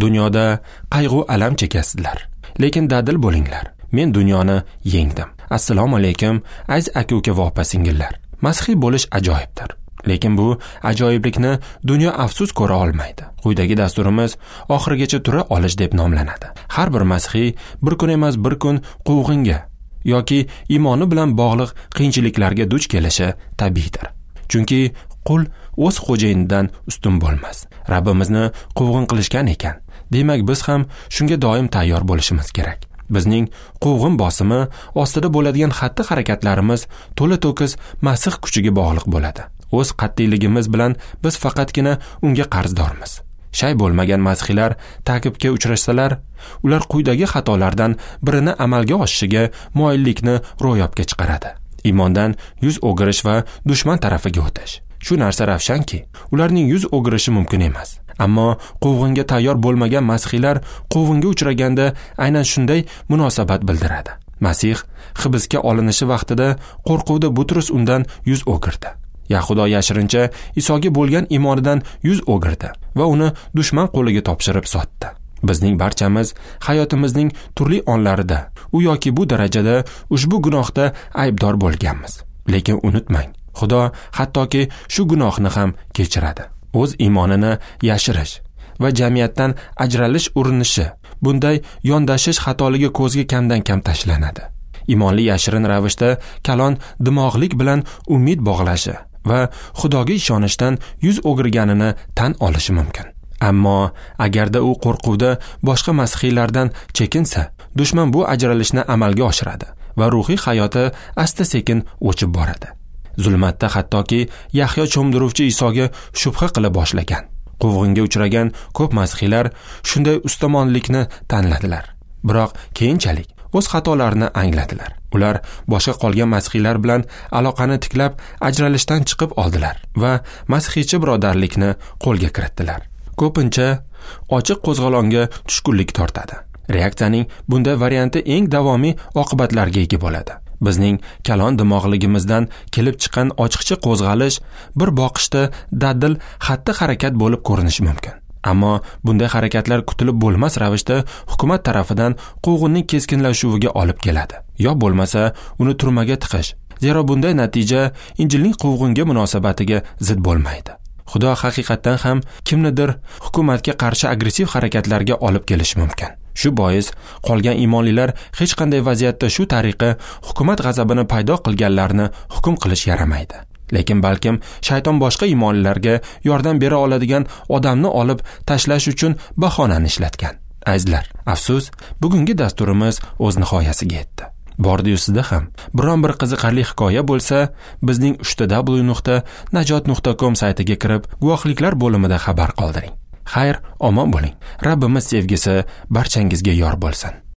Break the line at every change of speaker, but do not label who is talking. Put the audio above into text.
Dunyoda qayg'u alam chekasizlar, lekin dadil bo'linglar. Men dunyoni yengdim. Assalomu alaykum, aziz aka-uka va opa-singillar. Masihiy bo'lish ajoyibdir. Lekin bu ajoyiblikni dunyo afsus ko'ra olmaydi. Quyidagi dasturimiz oxirigacha tura olish deb nomlanadi. Har bir masihiy bir kun emas bir kun quvg'inga yoki iymoni bilan bog'liq qiyinchiliklarga duch kelishi tabiiydir. Chunki qul o'z xo'jayinidan ustun bo'lmas. Rabbimizni quvg'in qilishgan ekan, demak biz ham shunga doim tayyor bo'lishimiz kerak. Bizning quvg'in bosimi ostida bo'ladigan xatti-harakatlarimiz to'la-to'kis Masih kuchiga bog'liq bo'ladi. O'z qat'iyligimiz bilan biz faqatgina unga qarzdormiz. Shay bo'lmagan masihiylar ta'qibga uchrasalar, ular quyidagi xatolardan birini amalga oshishiga moyillikni ro'yobga chiqaradi. Iymondan yuz o'girish va dushman tarafiga o'tish. Shu narsa ravshanki, ularning yuz o'girishi mumkin emas. Ammo quvg'inga tayyor bo'lmagan masihiylar quvg'inga uchraganda aynan shunday munosabat bildiradi. Masih hibsga olinishi vaqtida qo'rquvda Butrus undan yuz o'girdi. Yahudo yashirincha Isoga bo'lgan iymonidan yuz o'girdi va uni dushman qo'liga topshirib sotdi. Bizning barchamiz hayotimizning turli onlarida u yoki bu darajada ushbu gunohda aybdor bo'lganmiz. Lekin unutmang, Xudo hattoki shu gunohni ham kechiradi. O'z iymonini yashirish va jamiyatdan ajralish urinishi, bunday yondashish xatoligi ko'zga kamdan kam tashlanadi. Iymonli yashirin ravishda kalon dimog'lik bilan umid bog'lashi va Xudoga ishonishdan yuz o'girganini tan olishi mumkin. Ammo agarda u qo'rquvda boshqa masihiylardan chekinsa, dushman bu ajralishni amalga oshiradi va ruhiy hayoti asta-sekin o'chib boradi. Zulmatda hattoki Yahyo cho'mdiruvchi Isoga shubha qila boshlagan. Quvg'inga uchragan ko'p masihiylar shunday ustamonlikni tanladilar. Biroq keyinchalik o'z xatolarini angladilar. Ular boshqa qolgan masihiylar bilan aloqani tiklab, ajralishdan chiqib oldilar va masihiychi birodarlikni qo'lga kiritdilar. Ko'pincha ochiq qo'zg'olonga tushkunlik tortadi. Reaksiyaning bunday varianti eng davomiy oqibatlarga ega bo'ladi. Bizning kalon dimog'ligimizdan kelib chiqqan ochiqcha qo'zg'alish bir boqishda dadil xatti-harakat bo'lib ko'rinishi mumkin. Ammo bunday harakatlar kutilib bo'lmas ravishda hukumat tarafidan quvg'inning keskinlashuviga olib keladi. Yo bo'lmasa uni turmaga tiqish. Zero bunday natija Injilning quvg'inga munosabatiga zid bo'lmaydi. Xudo haqiqatdan ham kimnidir hukumatga qarshi agressiv harakatlarga olib kelishi mumkin. Shu bois qolgan iymonlilar hech qanday vaziyatda shu tariqa hukumat g'azabini paydo qilganlarni hukm qilish yaramaydi. Lekin balkim shayton boshqa iymonlilarga yordam bera oladigan odamni olib tashlash uchun bahonani ishlatgan. Azizlar, afsus, bugungi dasturimiz o'z nihoyasiga yetdi. Bordi-yu sizda ham biron bir qiziqarli hikoya bo'lsa, bizning www.najot.com saytiga kirib, guvohliklar bo'limida xabar qoldiring. Xayr, omon bo'ling. Rabbimiz sevgisi barchangizga yor bo'lsin.